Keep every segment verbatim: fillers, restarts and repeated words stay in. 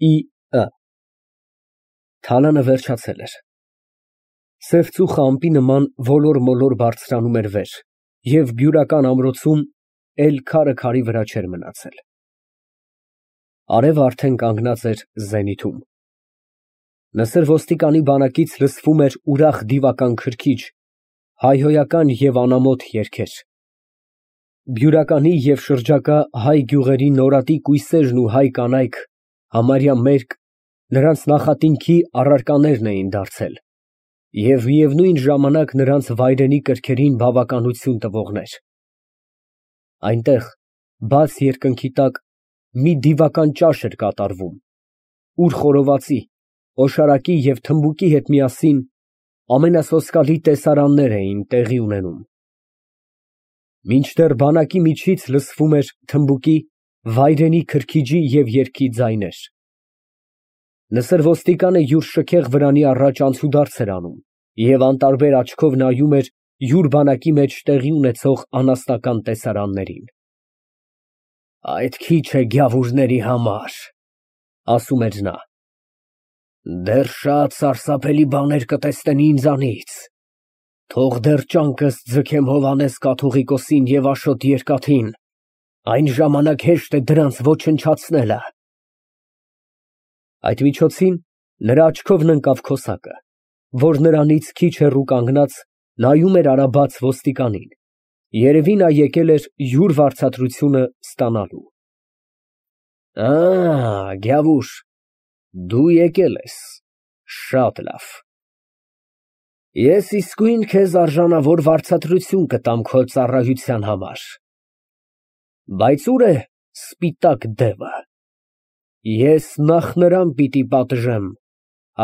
Ի ը Թալանը վերջացել էր։ Սև ծուխը ամպի նման ոլոր֊մոլոր բարձրանում էր վեր և բյուրական ամրոցում էլ քարը քարի վրա չէր մնացել։ Արևը արդեն կանգնած էր զենիթում։ Նսր ոստիկանի բանակից լսվում էր ուրախ դիվական քրքիջ, հայհոյական և անամոթ երգեր։ Բյուրականի և շրջակա հայ գյուղերի նորատի կույսերն ու հայ կանայք, համարյա մերկ, նրանց նախատինքի առարկաներն էին դարձել և միևնույն ժամանակ նրանց վայրենի կրքերին բավականություն տվողներ։ Այնտեղ, բաց երկնքի տակ, մի դիվական ճաշ էր կատարվում, ուր խորովածի, օշարակի և թմբուկի հետ միասին ամենասոսկալի տեսարաններ էին տեղի ունենում։ Մինչդեռ բանակի միջից լսվում էր թմբուկի, վայրենի քրքիջի և երգի ձայներ։ Նսր ոստիկանը յուր շքեղ վրանի առաջ անցուդարձ էր անում և անտարբեր աչքով նայում էր յուր բանակի մեջ տեղի ունեցող անասնական տեսարաններին։ «Այդ քիչ է գյավուրների համար», ֊ ասում էր նա, ֊ դեռ շատ սարսափելի բաներ կտեսնեն ինձանից, թող դեռ ճանկս ձգեմ Հովհաննես կաթուղիկոսին և Աշոտ Երկաթին, այն ժամանակ հեշտ է դրանց ոչնչացնելը։ Այդ միջոցին նրա աչքովն ընկավ քոսակը, որ նրանից քիչ հեռու կանգնած, նայում էր արաբաց ոստիկանին, երևի նա եկել էր յուր վարձատրությունը ստանալու։ Ա, գյավուր, դու եկել ես, շատ լավ։ Ես իսկույն քեզ արժանավոր վարձատրություն կտամ քո ծառայության համար։ Բայց ո՞ւր է սպիտակ դևը։ Ես նախ նրան պիտի պատժեմ,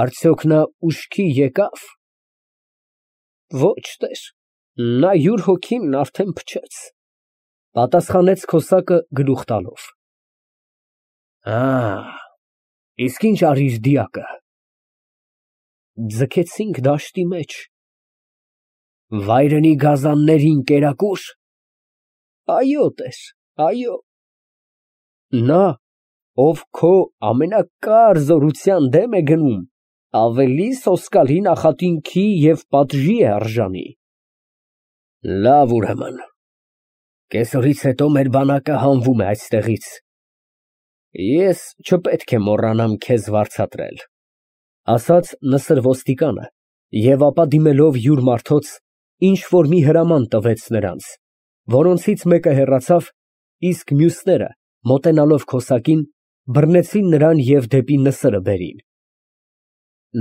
արդյոք նա ուշքի եկա՞վ։ Ոչ, տեր, նա յուր հոգին արդեն փչեց, ֊ պատասխանեց քոսակը գլուխ տալով։ Ա, իսկ ի՞նչ արիր դիակը։ Ձգեցինք դաշտի մեջ։ Վայրենի գազաններին կերակո՞ւր։ Այո, տեր, այո։ Նա, ով քո ամենակար զորության դեմ է գնում, ավելի սոսկալի նախատինքի և պատժի է արժանի։ Լավ, ուրեմն, կեսօրից հետո մեր բանակը հանվում է այստեղից։ Ես չպետք է մոռանամ քեզ վարձատրել, ֊ ասաց նսր ոստիկանը և ապա դիմելով յուր մարդոց, ինչ֊որ մի հրաման տվեց նրանց, որոնցից մեկը հեռացավ, իսկ մյուսները, մոտենալով քոսակին, բռնեցին նրան և դեպի նսրը բերին։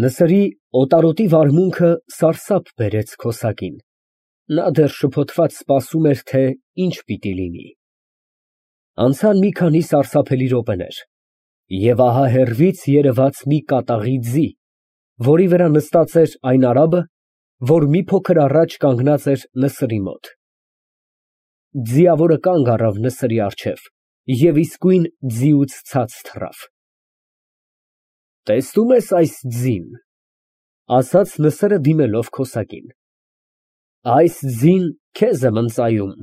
Նսրի օտարոտի վարմունքը սարսափ բերեց քոսակին, նա դեռ շփոթված սպասում էր, թե ինչ պիտի լինի։ Անցան մի քանի սարսափելի րոպեներ, և ահա հեռվից երևաց մի կատաղի ձի, որի վրա նստած էր այն արաբը, որ մի փոքր առաջ կանգնած էր նսրի մոտ։ Ձիավորը կանգ առավ նսրի առջև և իսկույն ձիուց ցած թռավ։ Տեսնո՞ւմ ես այս ձին, ֊ ասաց նսրը դիմելով քոսակին։ Այս ձին քեզ եմ ընծայում,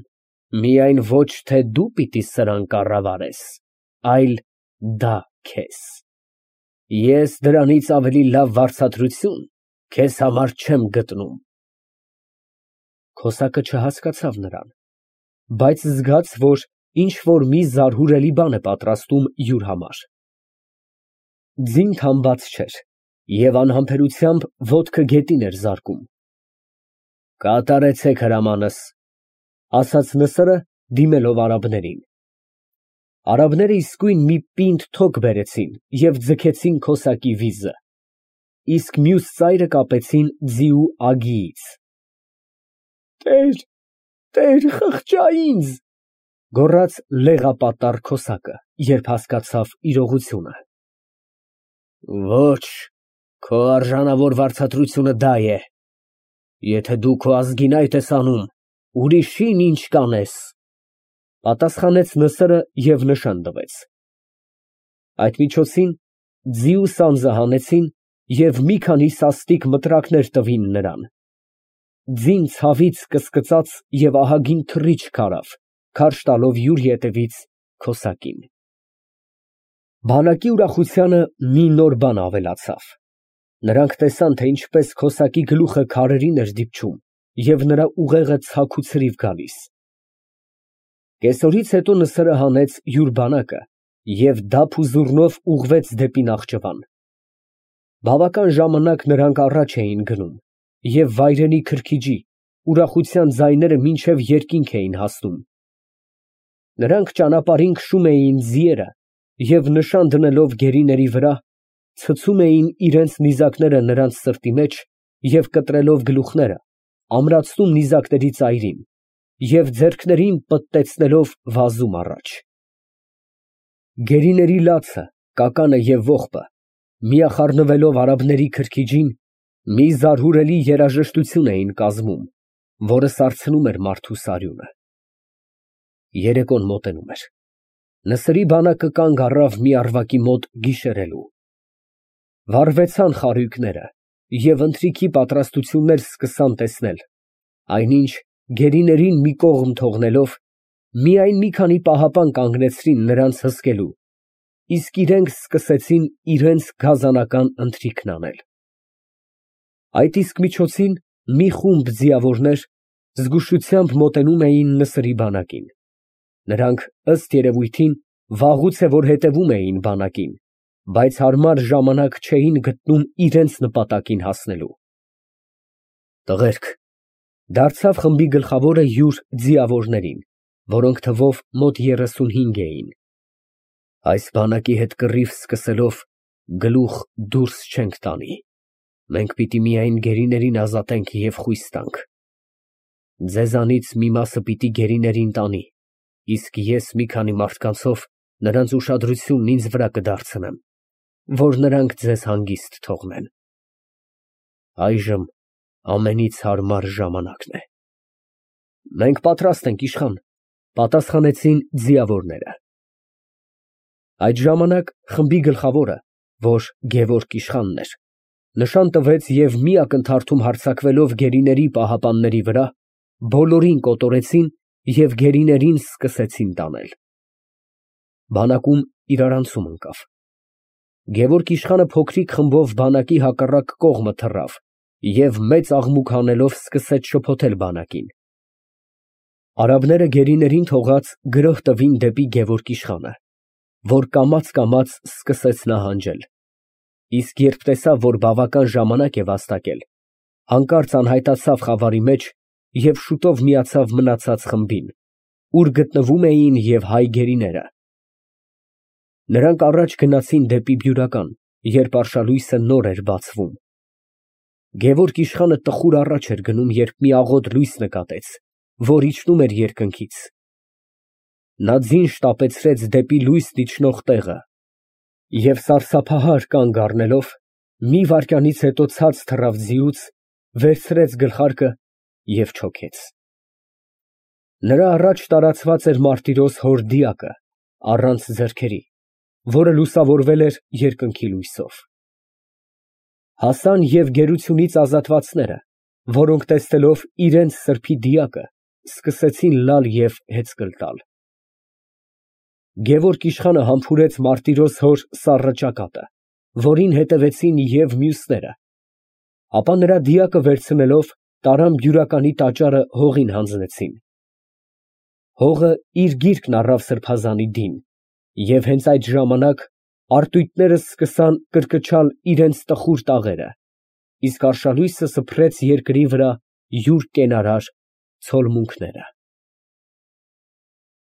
միայն ոչ թե դու պիտի սրան կառավարես, այլ դա քեզ։ Ես դրանից ավելի լավ վարձատրություն քեզ համար չեմ գտնում։ Քոսակը չհասկացավ նրան, բայց զգաց, որ ինչ֊որ մի զարհուրելի բան է պատրաստում յուր համար։ Ձին թամբած չէր և անհամբերությամբ ոտքը գետին էր զարկում։ Կատարեցեք հրամանս, ֊ ասաց նսրը, դիմելով արաբներին։ Արաբները իսկույն մի պինդ թոք բերեցին և ձգեցին քոսակի վիզը, իսկ մյուս ծայրը կապեցին ձիու ագիից։ Տեր, տեր, խղճա ինձ, ֊ գոռաց լեղապատառ քոսակը, երբ հասկացավ իրողությունը։ Ոչ, քո արժանավոր վարձատրությունը դա է։ Եթե դու քո ազգին այդ ես անում, ուրիշին ինչ կանես, ֊ պատասխանեց նսրը և նշան տվեց։ Այդ միջոցին ձիու սանձը հանեցին և մի քանի սաստիկ մտրակներ տվին նրան։ Ձին ցավից կսկծաց և ահագին թռիչք արավ, քարշ տալով յուր ետևից քոսակին։ Բանակի ուրախությանը մի նոր բան ավելացավ. նրանք տեսան, թե ինչպես քոսակի գլուխը քարերին էր դիպչում և նրա ուղեղը ցաք ու ցրիվ գալիս։ Կեսօրից հետո Նսրը հանեց յուր բանակը և դափ ու զուռնով ուղղվեց դեպի Նախճիվան։ Բավական ժամանակ նրանք առաջ էին գնում, և վայրենի քրքիջի, ուրախության ձայները մինչև երկինք էին հասնում։ Նրանք ճանապարհին քշում էին ձիերը և նշան դնելով գերիների վրա, ցցում էին իրենց նիզակները նրանց սրտի մեջ և կտրելով գլուխները, ամրացնում նիզակների ծայրին և ձեռքներին պտտեցնելով վազում առաջ։ Գերիների լացը, կականը և ողբը, միախառնվելով արաբների քրքիջին, մի զարհուրելի երաժշտություն էին կազմում, որը սարցնում էր մարդուս արյունը։ Երեկոն մոտենում էր։ Նսրի բանակը կանգ առավ մի առվակի մոտ գիշերելու։ Վառվեցան խարույկները և ընթրիքի պատրաստություններ սկսան տեսնել, այնինչ, գերիներին մի կողմ թողնելով, միայն մի քանի պահապան կանգնեցրին նրանց հսկելու, իսկ իրենք սկսեցին իրենց գազանական ընթրիքն անել։ Այդ իսկ միջոցին մի խումբ ձիավորներ զգուշությամբ մոտենում էին Նսրի բանակին։ Նրանք, ըստ երևույթին, վաղուց է որ հետևում էին բանակին, բայց հարմար ժամանակ չէին գտնում իրենց նպատակին հասնելու։ Տղերք, դարձավ խմբի գլխավորը յուր ձիավորներին, որոնք թվով մոտ երեսունհինգ էին, այս բանակի հետ կռիվ սկսելով գլուխ դուրս չենք տանի, մենք պիտի միայն գերիներին ազատենք և խույս տանք։ Ձեզանից մի մասը պիտի գերիներին տանի, իսկ ես մի քանի մարդկանցով նրանց ուշադրությունն ինձ վրա կդարձնեմ, որ նրանք ձեզ հանգիստ թողնեն։ Այժմ ամենից հարմար ժամանակն է։ Մենք պատրաստ ենք, իշխան, պատասխանեցին ձիավորները։ Այդ ժամանակ խմբի գլխավորը, որ Գևորգ իշխանն էր, նշան տվեց և մի ակնթարթում հարձակվելով գերիների պահապանների վրա, բոլորին կոտորեցին և գերիներին սկսեցին տանել։ Բանակում իրարանցում ընկավ։ Գևորգ իշխանը փոքրիկ խմբով բանակի հակառակ կողմը թռավ և մեծ աղմուկ հանելով սկսեց շփոթել բանակին։ Արաբները գերիներին թողած գրոհ տվին դեպի Գևորգ իշխանը, որ կամաց֊կամաց սկսեց նահանջել, իսկ երբ տեսավ, որ բավական ժամանակ է վաստակել, հանկարծ անհայտացավ խավարի մեջ և շուտով միացավ մնացած խմբին, ուր գտնվում էին և հայ գերիները։ Նրանք առաջ գնացին դեպի Բյուրական, երբ արշալույսը նոր էր բացվում։ Գևորգ իշխանը տխուր առաջ էր գնում, երբ մի աղոտ լույս նկատեց, որ իջնում էր երկնքից։ Նա ձին շտապեցրեց դեպի լույսն իջնող տեղը և սարսափահար կանգ առնելով, մի վայրկյանից հետո ցած թռավ ձիուց, վերցրեց գլխարկը և չոքեց։ Նրա առաջ տարածված էր մարտիրոս հոր դիակը, առանց ձեռքերի, որը լուսավորվել էր երկնքի լույսով։ Հասան և գերությունից ազատվածները, որոնք տեսնելով իրենց սրբի դիակը, սկսեցին լալ և հեծկլ տալ։ Գևորգ իշխանը համբուրեց մարտիրոս հոր սառը ճակատը, որին հետևեցին և մյուսները, ապա նրա դիակը վերցնելով, տարան Բյուրականի տաճարը հողին հանձնեցին։ Հողը իր գիրկն առավ սրբազանի դին, և հենց այդ ժամանակ արտույտները սկսան կրկչալ իրենց տխուր տաղերը, իսկ արշալույսը սփռեց երկրի վրա յուր կենարար ցոլմունքները։